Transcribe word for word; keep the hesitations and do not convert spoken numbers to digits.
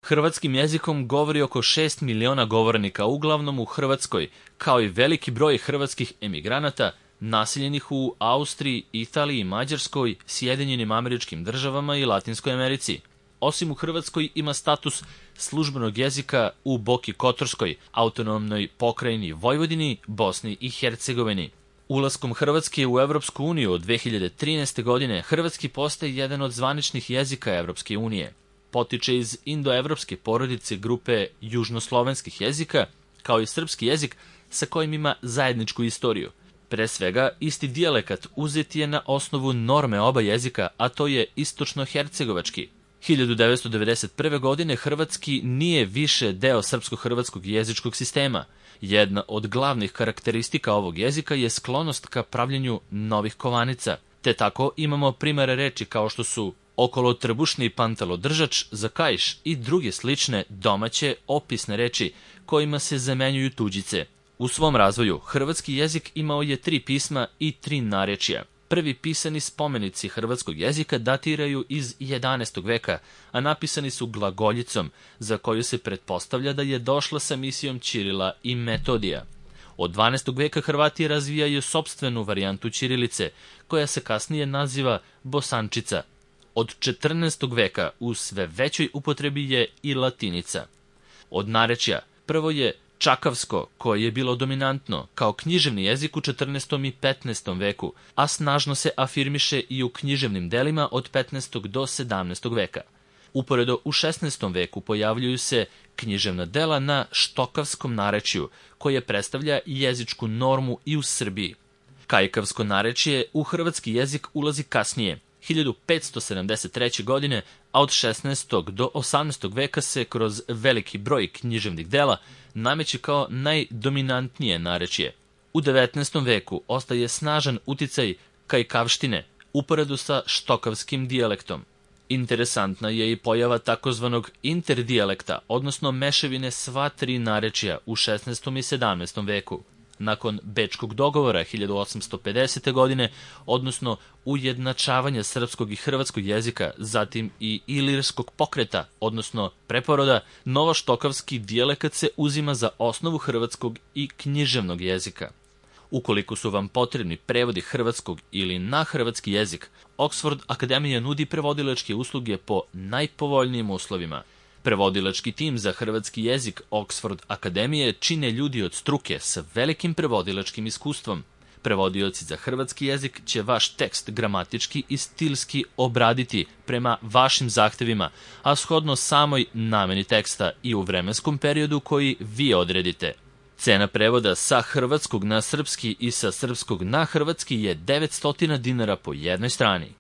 Hrvatskim jezikom govori oko šest miliona govornika, uglavnom u Hrvatskoj, kao i veliki broj hrvatskih emigranata naseljenih u Austriji, Italiji, Mađarskoj, Sjedinjenim Američkim Državama i Latinskoj Americi. Osim u Hrvatskoj ima status službenog jezika u Boki Kotorskoj, autonomnoj pokrajini Vojvodini, Bosni i Hercegovini. Ulaskom Hrvatske u Evropsku uniju od dve hiljade trinaeste. godine hrvatski postaje jedan od zvaničnih jezika Evropske unije. Potiče iz indoevropske porodice grupe južnoslovenskih jezika, kao i srpski jezik sa kojim ima zajedničku istoriju. Pre svega, isti dijalekat uzet je na osnovu norme oba jezika, a to je istočno-hercegovački. hiljadu devetsto devedeset prve. godine hrvatski nije više deo srpsko-hrvatskog jezičkog sistema. Jedna od glavnih karakteristika ovog jezika je sklonost ka pravljenju novih kovanica, te tako imamo primere reči kao što su okolo trbušni pantalodržač za kaiš i druge slične domaće opisne reči kojima se zamenjuju tuđice. U svom razvoju hrvatski jezik imao je tri pisma i tri narječja. Prvi pisani spomenici hrvatskog jezika datiraju iz jedanaestog veka, a napisani su glagoljicom, za koju se pretpostavlja da je došla sa misijom Ćirila i Metodija. Od dvanaestog veka Hrvati razvijaju sopstvenu varijantu ćirilice, koja se kasnije naziva bosančica. Od četrnaestog veka u sve većoj upotrebi je i latinica. Od narečja prvo je čakavsko, koje je bilo dominantno kao književni jezik u četrnaestom i petnaestom veku, a snažno se afirmiše i u književnim delima od petnaestog do sedamnaestog veka. Uporedo u šesnaestom veku pojavljuju se književna dela na štokavskom narečju, koje predstavlja jezičku normu i u Srbiji. Kajkavsko narečje u hrvatski jezik ulazi kasnije, hiljadu petsto sedamdeset treće. godine, a od šesnaestog do osamnaestog veka se kroz veliki broj književnih dela nameće kao najdominantnije narečje. U devetnaestom veku ostaje snažan uticaj kajkavštine, uporedu sa štokavskim dijalektom. Interesantna je i pojava takozvanog interdijalekta, odnosno mešavine sva tri narečja u šesnaestom i sedamnaestom veku. Nakon Bečkog dogovora hiljadu osamsto pedesete. godine, odnosno ujednačavanja srpskog i hrvatskog jezika, zatim i ilirskog pokreta, odnosno preporoda, novoštokavski dijalekat se uzima za osnovu hrvatskog i književnog jezika. Ukoliko su vam potrebni prevodi hrvatskog ili na hrvatski jezik, Oxford Akademija nudi prevodilačke usluge po najpovoljnijim uslovima. Prevodilački tim za hrvatski jezik Oxford Akademije čine ljudi od struke sa velikim prevodilačkim iskustvom. Prevodioci za hrvatski jezik će vaš tekst gramatički i stilski obraditi prema vašim zahtevima, a shodno samoj nameni teksta i u vremenskom periodu koji vi odredite. Cena prevoda sa hrvatskog na srpski i sa srpskog na hrvatski je devetsto dinara po jednoj strani.